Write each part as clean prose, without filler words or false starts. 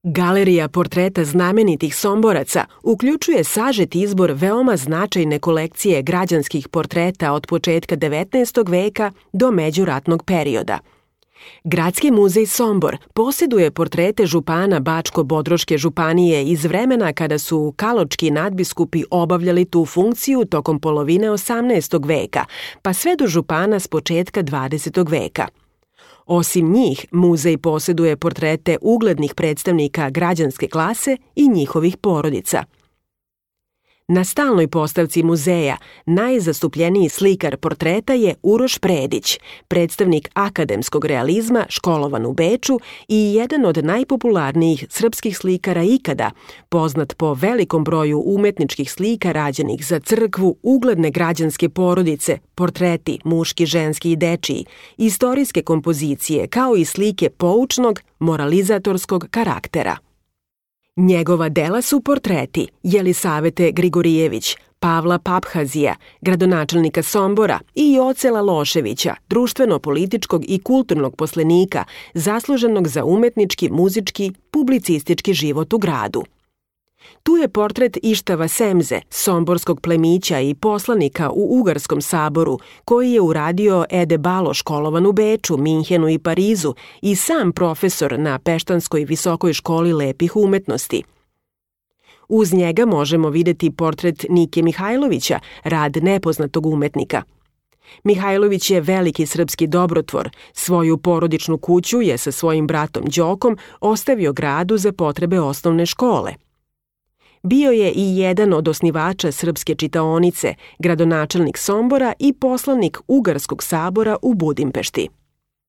Galerija portreta znamenitih Somboraca uključuje sažet izbor veoma značajne kolekcije građanskih portreta od početka 19. veka do međuratnog perioda. Gradski muzej Sombor posjeduje portrete župana Bačko-Bodroške županije iz vremena kada su kaločki nadbiskupi obavljali tu funkciju tokom polovine 18. veka, pa sve do župana s početka 20. veka. Osim njih, muzej posjeduje portrete uglednih predstavnika građanske klase i njihovih porodica. Na stalnoj postavci muzeja najzastupljeniji slikar portreta je Uroš Predić, predstavnik akademskog realizma, školovan u Beču i jedan od najpopularnijih srpskih slikara ikada, poznat po velikom broju umetničkih slika rađenih za crkvu, ugledne građanske porodice, portreti muški, ženski i dečiji, istorijske kompozicije kao i slike poučnog, moralizatorskog karaktera. Njegova dela su portreti Jelisavete Grigorijević, Pavla Paphazija, gradonačelnika Sombora i Jocela Loševića, društveno-političkog i kulturnog poslenika, zasluženog za umetnički, muzički, publicistički život u gradu. Tu je portret Ištava Semze, somborskog plemića i poslanika u Ugarskom saboru, koji je uradio Ede Balo, školovan u Beču, Minhenu i Parizu i sam profesor na Peštanskoj visokoj školi lepih umetnosti. Uz njega možemo videti portret Nike Mihajlovića, rad nepoznatog umetnika. Mihajlović je veliki srpski dobrotvor, svoju porodičnu kuću je sa svojim bratom Đokom ostavio gradu za potrebe osnovne škole. Bio je i jedan od osnivača Srpske čitaonice, gradonačelnik Sombora i poslanik Ugarskog sabora u Budimpešti.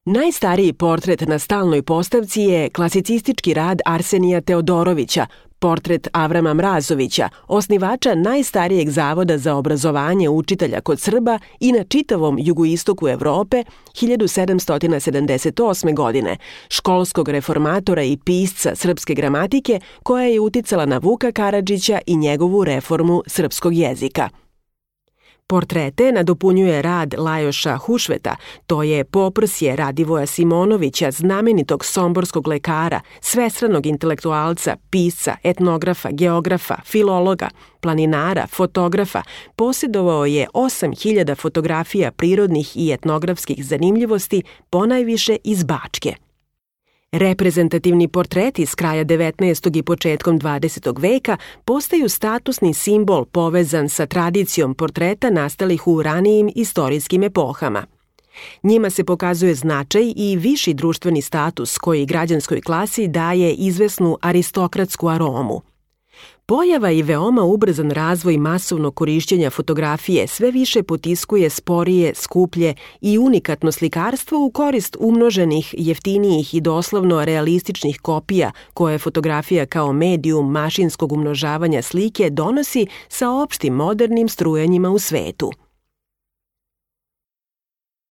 Najstariji portret na stalnoj postavci je klasicistički rad Arsenija Teodorovića, portret Avrama Mrazovića, osnivača najstarijeg zavoda za obrazovanje učitelja kod Srba i na čitavom jugoistoku Evrope 1778. godine, školskog reformatora i pisca srpske gramatike koja je uticala na Vuka Karadžića i njegovu reformu srpskog jezika. Portrete nadopunjuje rad Lajoša Hušveta, to je poprsje Radivoja Simonovića, znamenitog somborskog lekara, svestranog intelektualca, pisca, etnografa, geografa, filologa, planinara, fotografa, posjedovao je 8.000 fotografija prirodnih i etnografskih zanimljivosti, ponajviše iz Bačke. Reprezentativni portreti s kraja 19. i početkom 20. veka postaju statusni simbol povezan sa tradicijom portreta nastalih u ranijim istorijskim epohama. Njima se pokazuje značaj i viši društveni status koji građanskoj klasi daje izvesnu aristokratsku aromu. Pojava i veoma ubrzan razvoj masovnog korišćenja fotografije sve više potiskuje sporije, skuplje i unikatno slikarstvo u korist umnoženih, jeftinijih i doslovno realističnih kopija koje fotografija kao medijum mašinskog umnožavanja slike donosi sa opštim modernim strujanjima u svetu.